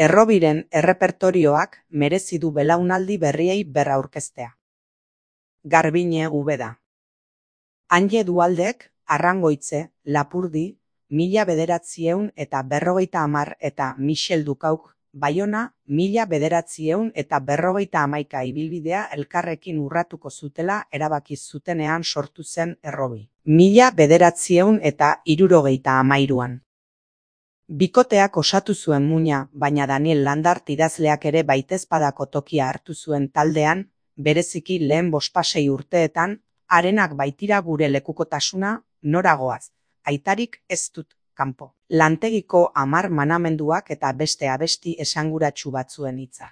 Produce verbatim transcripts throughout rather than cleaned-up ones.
Errobiren errepertorioak merezi du belaunaldi berriei berraurkeztea. Garbiñe Ubeda. Anje Dualdek, Arrangoitze, Lapurdi, mila bederatzieun eta berrogeita hamar eta Michel Ducauk, Baiona, mila bederatzieun eta berrogeita hamaika ibilbidea elkarrekin urratuko zutela erabaki zutenean sortu zen Errobi. Mila bederatzieun eta hirurogeita hamairuan. Bikoteak osatu zuen muina, baina Daniel Landart idazleak ere baitezpadako tokia hartu zuen taldean, bereziki lehen bospasei urteetan, harenak baitira gure lekukotasuna, noragoaz, aitarik ez dut kanpo. Lantegiko hamar manamenduak eta beste abesti esanguratsu batzuen hitza.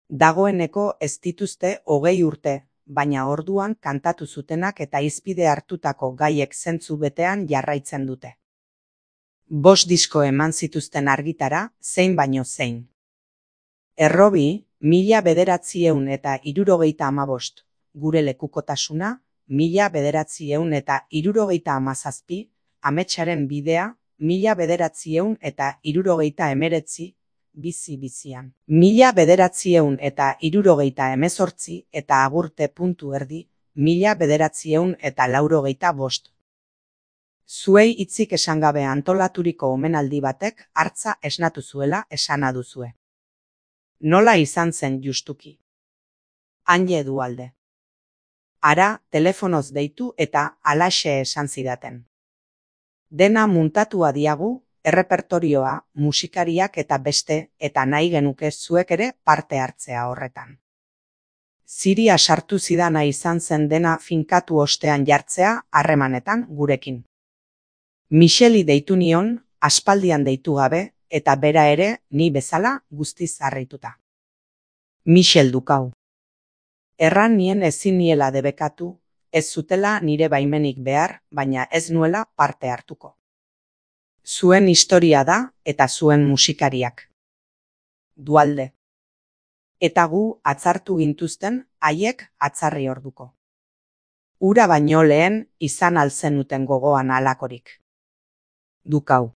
Dagoeneko ez dituzte hogei urte, baina orduan kantatu zutenak eta hizpide hartutako gaiek zentzu betean jarraitzen dute. Bost disko eman zituzten argitara, zein baino zein. Errobi, mila bederatzieun eta hirurogeita hamabost, gure lekukotasuna, mila bederatzieun eta hirurogeita hamazazpi, ametsaren bidea, mila bederatzieun eta hirurogeita hemeretzi, bizi bizian. Mila bederatzieun eta hirurogeita hemezortzi eta agurte puntu erdi, mila bederatzieun eta laurogeita bost. Zuei hitzik esan gabe antolaturiko omenaldi batek hartza esnatu zuela esana duzue. Nola izan zen justuki? Anje Dualde. Ara, telefonoz deitu eta halaxe esan zidaten. Dena muntatua diagu, errepertorioa, musikariak eta beste, eta nahi genuke zuek ere parte hartzea horretan. Ziria sartu zidana izan zen dena finkatu ostean jartzea harremanetan gurekin. Micheli deitu nion, aspaldian deitu gabe, eta bera ere, ni bezala, guztiz harrituta. Michel Ducau. Erran nien ezin niela debekatu, ez zutela nire baimenik behar, baina ez nuela parte hartuko. Zuen historia da, eta zuen musikariak. Dualde. Eta gu atzartu gintuzten, haiek atzarri orduko. Ura baino lehen, izan alzenuten gogoan halakorik. Ducau.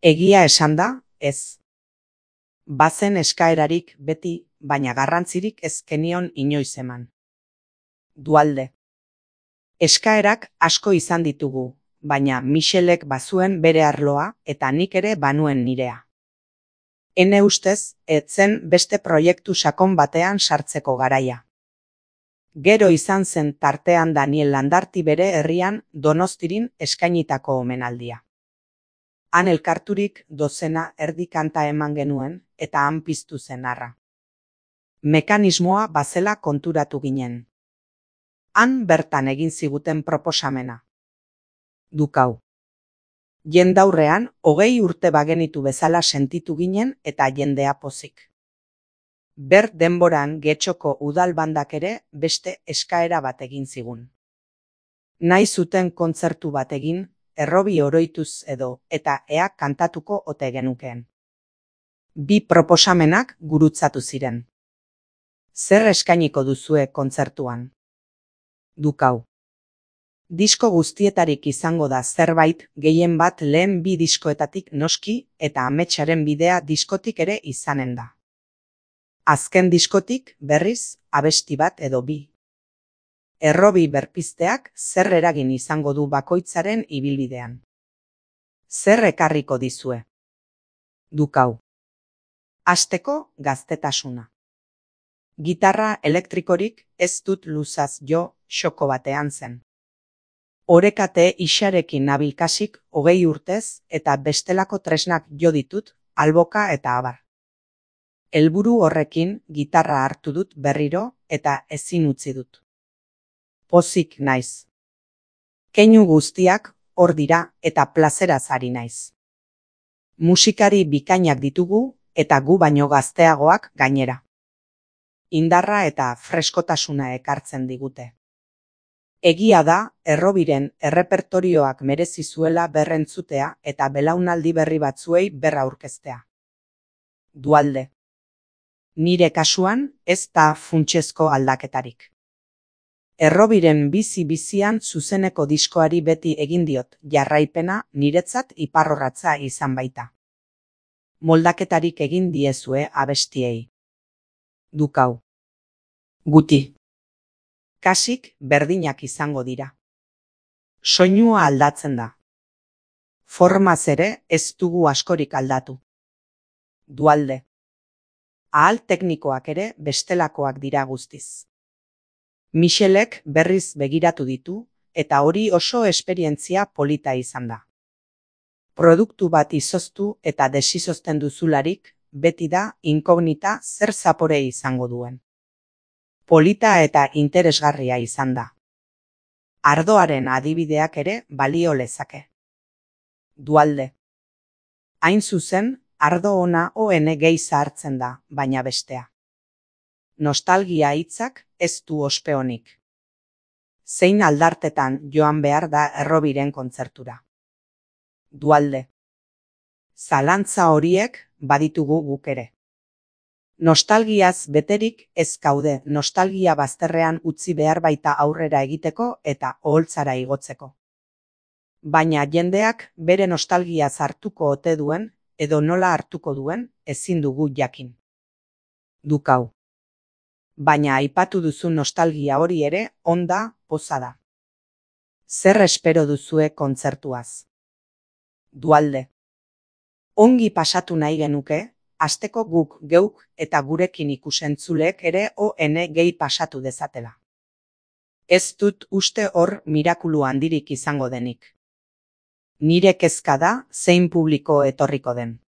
Egia esan da, ez. Bazen eskaerarik beti, baina garrantzirik ez kenion inoiz eman. Dualde. Eskaerak asko izan ditugu, baina Michelek bazuen bere arloa eta nik ere banuen nirea. Ene ustez, etzen beste proiektu sakon batean sartzeko garaia. Gero izan zen tartean Daniel Landarti bere herrian Donostirin eskainitako omenaldia. Han elkarturik dozena erdi kanta eman genuen eta han piztu zen arra. Mekanismoa bazela konturatu ginen. Han bertan egin ziguten proposamena. Ducau. Jendaurrean hogei urte bagenitu bezala sentitu ginen eta jendea pozik. Ber denboran Getxoko udalbandak ere beste eskaera bat egin zigun. Nahi zuten kontzertu bat egin, Errobi oroituz edo, eta ea kantatuko ote genukeen. Bi proposamenak gurutzatu ziren. Zer eskainiko duzue kontzertuan? Ducau. Disko guztietarik izango da zerbait, gehien bat lehen bi diskoetatik noski, eta ametsaren bidea diskotik ere izanen da. Azken diskotik, berriz, abesti bat edo bi. Errobi berpizteak zer eragin izango du bakoitzaren ibilbidean. Zer ekarriko dizue? Ducau. Hasteko gaztetasuna. Gitarra elektrikorik ez dut luzaz jo, xoko batean zen. Orekate isarekin nabilkasik hogei urtez eta bestelako tresnak jo ditut, alboka eta abar. Helburu horrekin gitarra hartu dut berriro eta ezin utzi dut. Pozik naiz. Keinu guztiak hor dira eta plazeraz ari naiz. Musikari bikainak ditugu eta gu baino gazteagoak gainera. Indarra eta freskotasuna ekartzen digute. Egia da, Errobiren errepertorioak merezi zuela berrentzutea eta belaunaldi berri batzuei berra aurkeztea. Dualde. Nire kasuan ez da funtsezko aldaketarik. Errobiren bizi bizian zuzeneko diskoari beti egin diot jarraipena niretzat iparrorratza izan baita. Moldaketarik egin diezue abestiei. Dukau. Guti. Kasik berdinak izango dira. Soinua aldatzen da. Formaz ere ez dugu askorik aldatu. Dualde. Ahal teknikoak ere bestelakoak dira guztiz. Michelek berriz begiratu ditu, eta hori oso esperientzia polita izan da. Produktu bat izoztu eta desizozten duzularik, beti da inkognita zer zapore izango duen. Polita eta interesgarria izan da. Ardoaren adibideak ere balio lezake. Dualde. Hain zuzen, ardo ona on gehi zahartzen da, baina bestea. Nostalgia hitzak ez du ospe onik. Zein aldartetan joan behar da Errobiren kontzertura. Dualde. Zalantza horiek baditugu guk ere. Nostalgiaz beterik ez gaude nostalgia bazterrean utzi behar baita aurrera egiteko eta oholtzara igotzeko. Baina jendeak bere nostalgiaz hartuko ote duen edo nola hartuko duen ezin dugu jakin. Dukau. Baina aipatu duzu nostalgia hori ere onda poza da. Zer espero duzue kontzertuaz? Dualde. Ongi pasatu nahi genuke, asteko guk geuk eta gurekin ikusentzulek ere on gehi pasatu dezatela. Ez dut uste hor mirakulu handirik izango denik. Nire kezka da zein publiko etorriko den.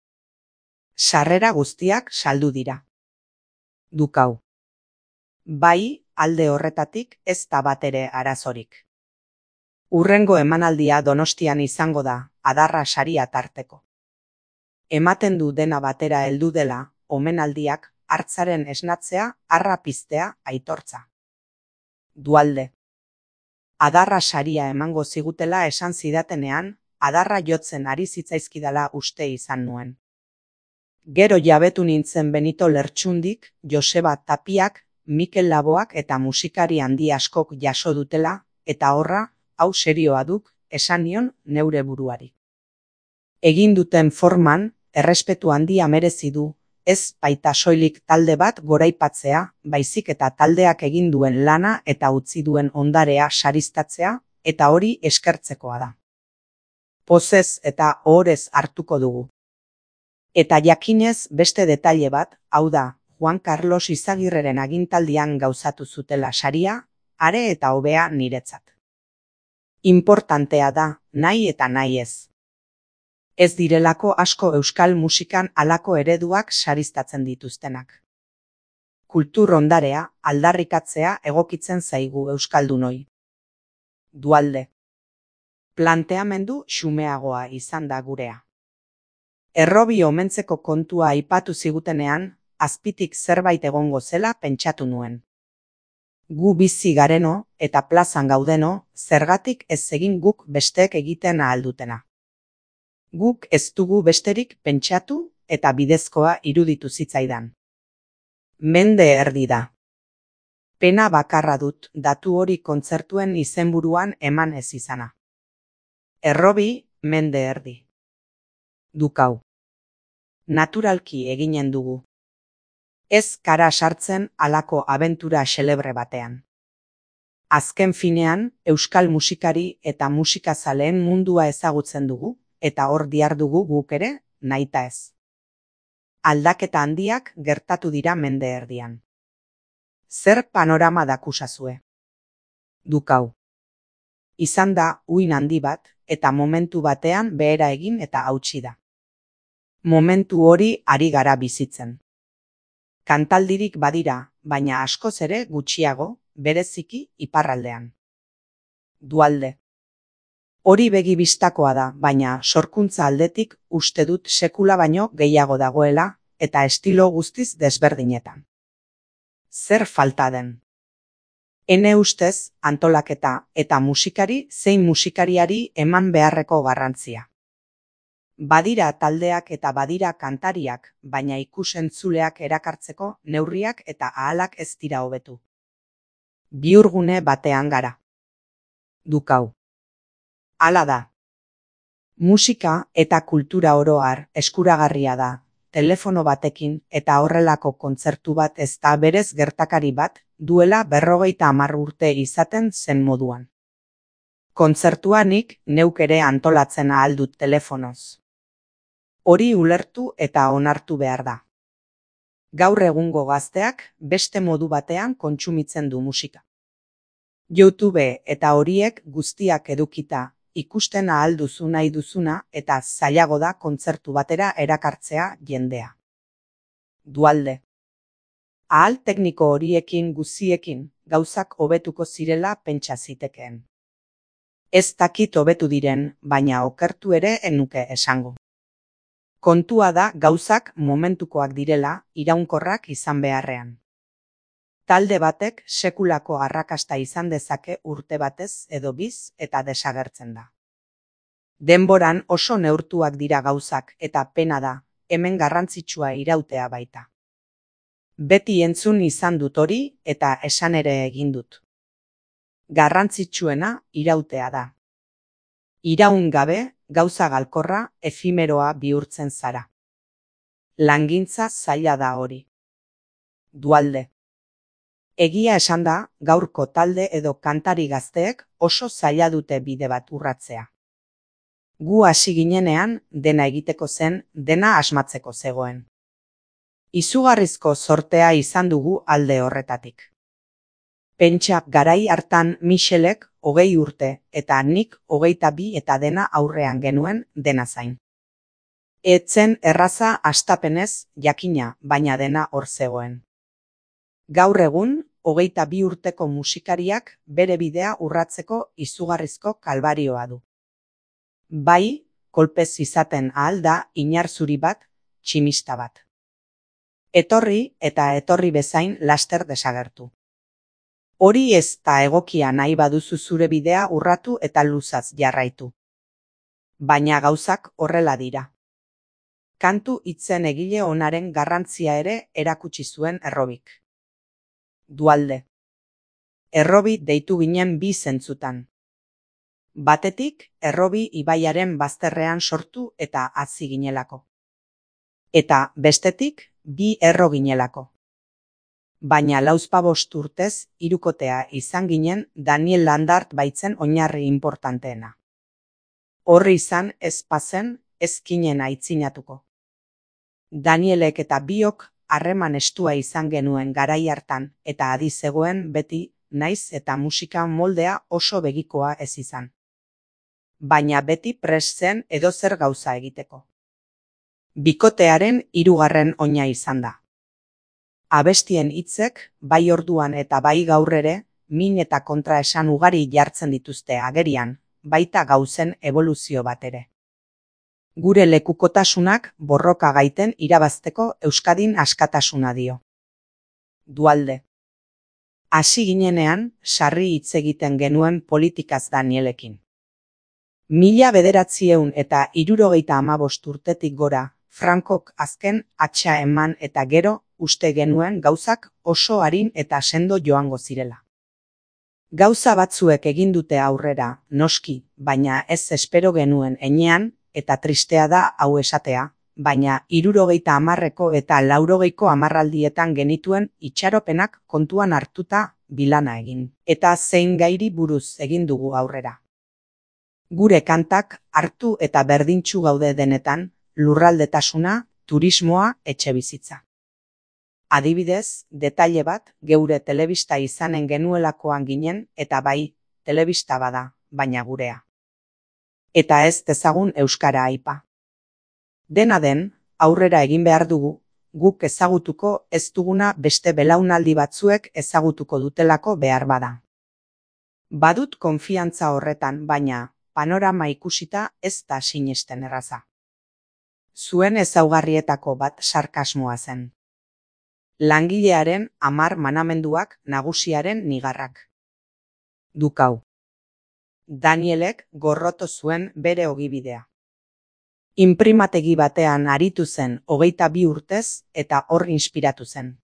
Sarrera guztiak saldu dira. Dukau. Bai, alde horretatik ez da batere arazorik. Hurrengo emanaldia Donostian izango da, adarra saria tarteko. Ematen du dena batera heldu dela, omenaldiak, hartzaren esnatzea, harra piztea, aitortza. Dualde. Adarra saria emango zigutela esan zidatenean, adarra jotzen ari zitzaizkidala uste izan nuen. Gero jabetu nintzen Benito Lertxundik, Joseba Tapiak, Mikel Laboak eta musikari handi askok jaso dutela, eta horra, hau serioa duk, esan nion neure buruari. Egin duten forman, errespetu handia merezi du, ez baita soilik talde bat goraipatzea, baizik eta taldeak egin duen lana eta utzi duen ondarea sariztatzea, eta hori eskertzekoa da. Pozez eta ohorez hartuko dugu. Eta jakinez beste detaile bat, hau da, Juan Carlos Izagirreren agintaldian gauzatu zutela saria, are eta hobea niretzat. Importantea da, nahi eta nahi ez. Ez direlako asko euskal musikan halako ereduak sariztatzen dituztenak. Kultur ondarea aldarrikatzea egokitzen zaigu euskaldunoi. Dualde. Planteamendu xumeagoa izan da gurea. Errobi omentzeko kontua aipatu zigutenean, azpitik zerbait egongo zela pentsatu nuen. Gu bizi gareno eta plazan gaudeno, zergatik ez egin guk besteek egiten ahaldutena. Guk ez dugu besterik pentsatu eta bidezkoa iruditu zitzaidan. Mende erdi da. Pena bakarra dut datu hori kontzertuen izenburuan eman ez izana. Errobi, mende erdi. Dukau. Naturalki eginen dugu. Ez kara sartzen halako abentura xelebre batean. Azken finean, euskal musikari eta musikazaleen mundua ezagutzen dugu, eta hor dihardugu guk ere, nahita ez. Aldaketa handiak gertatu dira mende erdian. Zer panorama dakusazue? Dukau. Izan da uin handi bat, eta momentu batean behera egin eta hautsi da. Momentu hori ari gara bizitzen. Kantaldirik badira, baina askoz ere gutxiago, bereziki iparraldean. Dualde. Hori begi bistakoa da, baina sorkuntza aldetik uste dut sekula baino gehiago dagoela, eta estilo guztiz desberdinetan. Zer falta den? Ene ustez, antolaketa eta musikari zein musikariari eman beharreko garrantzia. Badira taldeak eta badira kantariak, baina ikusentzuleak erakartzeko neurriak eta ahalak ez dira hobetu. Bihurgune batean gara. Dukau. Hala da. Musika eta kultura oro har eskuragarria da, telefono batekin eta horrelako kontzertu bat ez da berez gertakari bat duela berrogeita hamar urte izaten zen moduan. Kontzertua nik neuk ere antolatzen ahal dut telefonoz. Hori ulertu eta onartu behar da. Gaur egungo gazteak beste modu batean kontsumitzen du musika. YouTube eta horiek guztiak edukita, ikusten ahal duzu nahi duzuna eta zailago da kontzertu batera erakartzea jendea. Dualde. Ahal tekniko horiekin guziekin gauzak hobetuko zirela pentsa zitekeen. Ez dakit hobetu diren, baina okertu ere enuke esango. Kontua da gauzak momentukoak direla, iraunkorrak izan beharrean. Talde batek sekulako arrakasta izan dezake urte batez edo biz eta desagertzen da. Denboran oso neurtuak dira gauzak eta pena da, hemen garrantzitsua irautea baita. Beti entzun izan dut hori eta esan ere egin dut. Garrantzitsuena irautea da. Iraun gabe, gauza galkorra, efimeroa bihurtzen zara. Langintza zaila da hori. Dualde. Egia esan da, gaurko talde edo kantari gazteek oso zaila dute bide bat urratzea. Gu hasi ginenean, dena egiteko zen, dena asmatzeko zegoen. Izugarrizko zortea izan dugu alde horretatik. Pentsa garai hartan Michelek hogei urte eta nik hogeita bi eta dena aurrean genuen dena zain. Etzen erraza hastapenez jakina, baina dena hor zegoen. Gaur egun, hogeita bi urteko musikariak bere bidea urratzeko izugarrizko kalbarioa du. Bai, kolpez izaten ahal da inarzuri bat, tximista bat. Etorri eta etorri bezain laster desagertu. Hori ez da egokia nahi baduzu zure bidea urratu eta luzaz jarraitu. Baina gauzak horrela dira. Kantu hitzen egile onaren garrantzia ere erakutsi zuen Errobik. Dualde. Errobi deitu ginen bi zentzutan. Batetik, Errobi ibaiaren bazterrean sortu eta hazi ginelako. Eta bestetik, bi erro ginelako. Baina lauzpabost urtez, hirukotea izan ginen Daniel Landart baitzen oinarri importanteena. Horri izan ez pazen, ez kinen aitzinatuko. Danielek eta biok harreman estua izan genuen garai hartan eta adi zegoen beti naiz eta musika moldea oso begikoa ez izan. Baina beti prest zen edozer gauza egiteko. Bikotearen hirugarren oina izan da. Abestien hitzek, bai orduan eta bai gaur ere, min eta kontraesan ugari jartzen dituzte agerian, baita gauzen eboluzio bat ere. Gure lekukotasunak borroka gaiten irabazteko Euskadin askatasuna dio. Dualde. Hasi ginenean, sarri hitz egiten genuen politikaz Danielekin. Mila bederatzieun eta hirurogeita hamabost urtetik gora, Frankok azken atxa eman eta gero, uste genuen gauzak oso arin eta sendo joango zirela. Gauza batzuek egin dute aurrera, noski, baina ez espero genuen enean, eta tristea da hau esatea, baina hirurogeita hamarreko eta laurogeiko hamarraldietan genituen itxaropenak kontuan hartuta bilana egin. Eta zein gairi buruz egin dugu aurrera. Gure kantak hartu eta berdintsu gaude denetan, lurraldetasuna, turismoa, etxebizitza. Adibidez, detaile bat, geure telebista izanen genuelakoan ginen eta bai, telebista bada, baina gurea. Eta ez dezagun euskara aipa. Dena den, aurrera egin behar dugu, guk ezagutuko ez duguna beste belaunaldi batzuek ezagutuko dutelako behar bada. Badut konfiantza horretan, baina panorama ikusita ez da sinesten erraza. Zuen ezaugarrietako bat sarkasmoa zen. Langilearen hamar manamenduak nagusiaren nigarrak. Dukau. Danielek gorroto zuen bere ogibidea. Inprimategi batean aritu zen hogeita bi urtez eta hor inspiratu zen.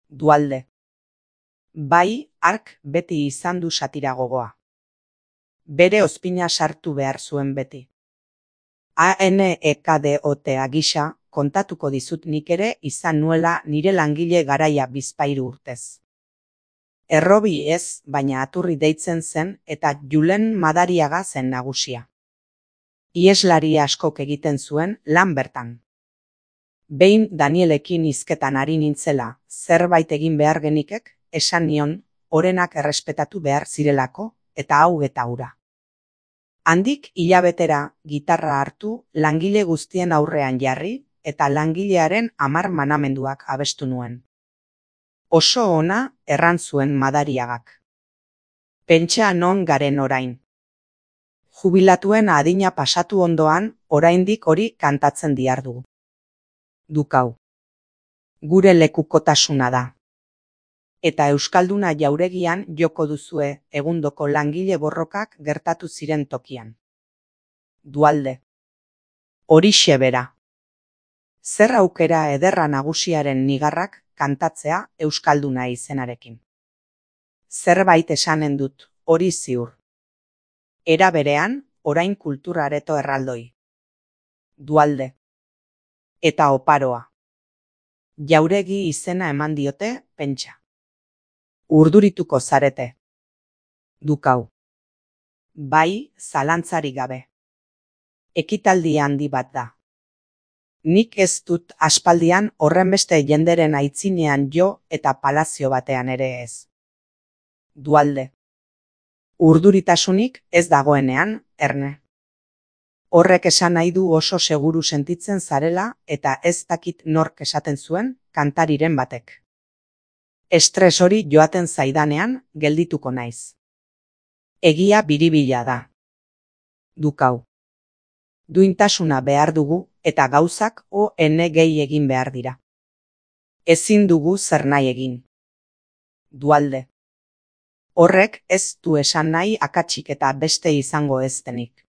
Dualde. Bai, hark beti izan du satira gogoa. Bere ozpina sartu behar zuen beti. A N E K D O T A gisa, kontatuko dizut nik ere izan nuela nire langile garaia bizpahiru urtez. Errobi ez, baina Aturri deitzen zen eta Julen Madariaga zen nagusia. Ieslari askok egiten zuen lan bertan. Behin Danielekin hizketan ari nintzela, zerbait egin behar genikek, esan nion, orenak errespetatu behar zirelako, eta hau eta hura. Handik hilabetera gitarra hartu, langile guztien aurrean jarri, eta langilearen hamar manamenduak abestu nuen. Oso ona erran zuen Madariagak. Pentsa non garen orain. Jubilatuen adina pasatu ondoan, oraindik hori kantatzen diardugu. Dukau. Gure lekukotasuna da. Eta euskalduna jauregian joko duzue egundoko langile borrokak gertatu ziren tokian. Dualde. Horixe bera. Zer aukera ederra nagusiaren nigarrak kantatzea euskalduna izenarekin. Zerbait esanen dut, hori ziur. Era berean, orain kulturareto erraldoi. Dualde. Eta oparoa. Jauregi izena eman diote, pentsa. Urdurituko zarete. Dukau. Bai, zalantzarik gabe. Ekitaldi handi bat da. Nik ez dut aspaldian horrenbeste jenderen aitzinean jo eta palazio batean ere ez. Dualde. Urduritasunik ez dagoenean, erne. Horrek esan nahi du oso seguru sentitzen zarela eta ez dakit nork esaten zuen kantariren batek. Estres hori joaten zaidanean geldituko naiz. Egia biribila da. Dukau. Duintasuna behar dugu eta gauzak o ene gehi egin behar dira. Ezin dugu zer nahi egin. Dualde. Horrek ez du esan nahi akatsik eta beste izango ez denik.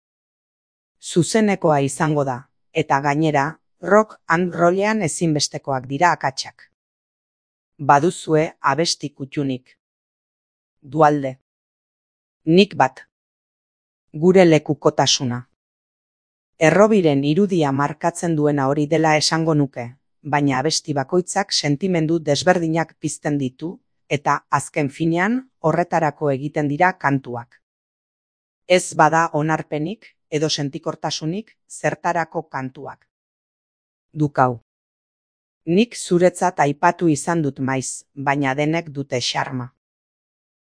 Zuzenekoa izango da, eta gainera, rock and rollean ezinbestekoak dira akatsak. Baduzue abesti kuttunik. Dualde. Nik bat. Gure lekukotasuna. Errobiren irudia markatzen duena hori dela esango nuke, baina abesti bakoitzak sentimendu desberdinak pizten ditu, eta azken finean horretarako egiten dira kantuak. Ez bada onarpenik edo sentikortasunik zertarako kantuak. Dukau. Nik zuretzat aipatu izan dut maiz, baina denek dute xarma.